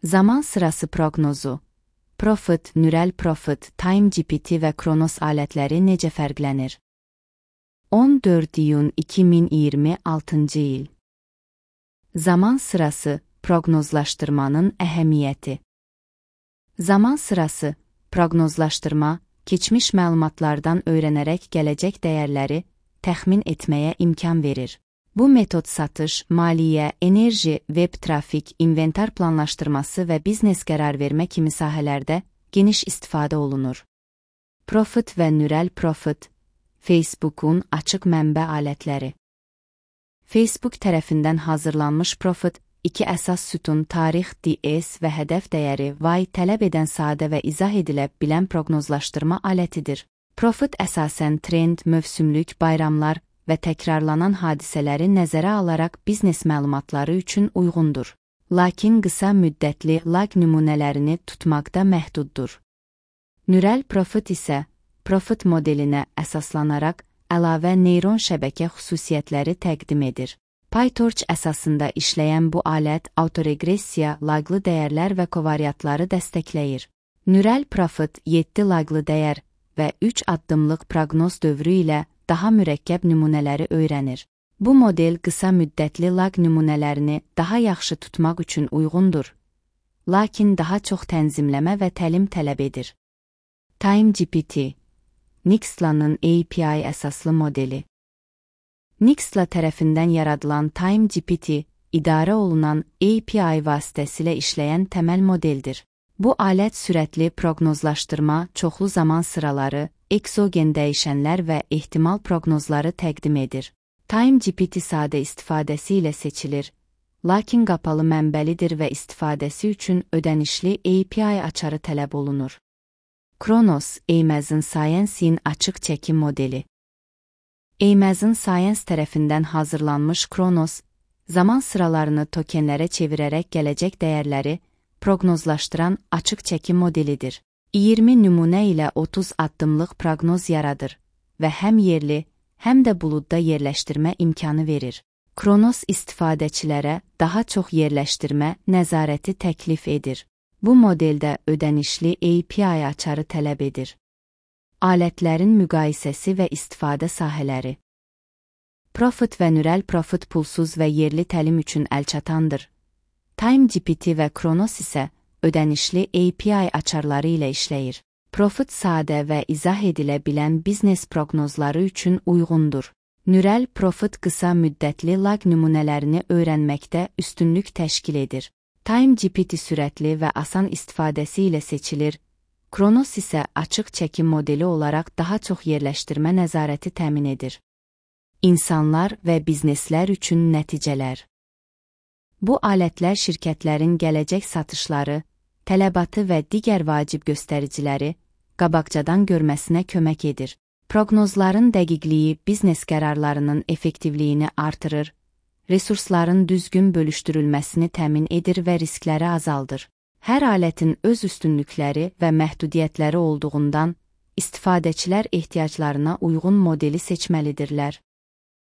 Zaman sırası proqnozu. Profit, Neural Profit, TimeGPT və Kronos alətləri necə fərqlənir? 14 iyun 2026 il. Zaman sırası proqnozlaşdırmanın əhəmiyyəti. Zaman sırası proqnozlaşdırma, keçmiş məlumatlardan öyrənərək gələcək dəyərləri təxmin etməyə imkan verir. Bu metod satış, maliyyə, enerji, web trafik, inventar planlaşdırması və biznes qərar vermə kimi sahələrdə geniş istifadə olunur. Profit və Neural Profit, Facebook'un açıq mənbə alətləri. Facebook tərəfindən hazırlanmış Profit, iki əsas sütun tarix, DS və hədəf dəyəri Y tələb edən sadə və izah edilə bilən proqnozlaşdırma alətidir. Profit əsasən trend, mövsümlük, bayramlar və təkrarlanan hadisələri nəzərə alaraq biznes məlumatları üçün uyğundur. Lakin qısa müddətli lag nümunələrini tutmaqda məhduddur. Neural Profit isə Profit modelinə əsaslanaraq əlavə neyron şəbəkə xüsusiyyətləri təqdim edir. PyTorch əsasında işləyən bu alət autoregressiya, laqlı dəyərlər və kovariantları dəstəkləyir. Neural Profit 7 laqlı dəyər və 3 addımlıq proqnoz dövrü ilə daha mürəkkəb nümunələri öyrənir. Bu model qısa müddətli lag nümunələrini daha yaxşı tutmaq üçün uyğundur, lakin daha çox tənzimləmə və təlim tələb edir. TimeGPT, Nextla'nın API əsaslı modeli. Nextla tərəfindən yaradılan TimeGPT, idarə olunan API vasitəsilə işləyən təməl modeldir. Bu alət sürətli proqnozlaşdırma, çoxlu zaman sıraları, eksogen dəyişənlər və ehtimal proqnozları təqdim edir. TimeGPT sadə istifadəsi ilə seçilir, lakin qapalı mənbəlidir və istifadəsi üçün ödənişli API açarı tələb olunur. Kronos, Amazon Science'in açıq çəkim modeli. Amazon Science tərəfindən hazırlanmış Kronos, zaman sıralarını tokenlərə çevirərək gələcək dəyərləri proqnozlaşdıran açıq çəkim modelidir. 20 nümunə ilə 30 addımlıq proqnoz yaradır və həm yerli, həm də buludda yerləşdirmə imkanı verir. Kronos istifadəçilərə daha çox yerləşdirmə nəzarəti təklif edir. Bu modeldə ödənişli API açarı tələb edir. Alətlərin müqayisəsi və istifadə sahələri. Profit və Neural Profit pulsuz və yerli təlim üçün əlçatandır. TimeGPT və Kronos isə ödənişli API açarları ilə işləyir. Profit sadə və izah edilə bilən biznes proqnozları üçün uyğundur. Neural Profit qısa müddətli lag nümunələrini öyrənməkdə üstünlük təşkil edir. TimeGPT sürətli və asan istifadəsi ilə seçilir. Kronos isə açıq çəkim modeli olaraq daha çox yerləşdirmə nəzarəti təmin edir. İnsanlar və bizneslər üçün nəticələr. Bu alətlər şirkətlərin gələcək satışları, tələbatı və digər vacib göstəriciləri qabaqcadan görməsinə kömək edir. Proqnozların dəqiqliyi biznes qərarlarının effektivliyini artırır, resursların düzgün bölüşdürülməsini təmin edir və riskləri azaldır. Hər alətin öz üstünlükləri və məhdudiyyətləri olduğundan, istifadəçilər ehtiyaclarına uyğun modeli seçməlidirlər.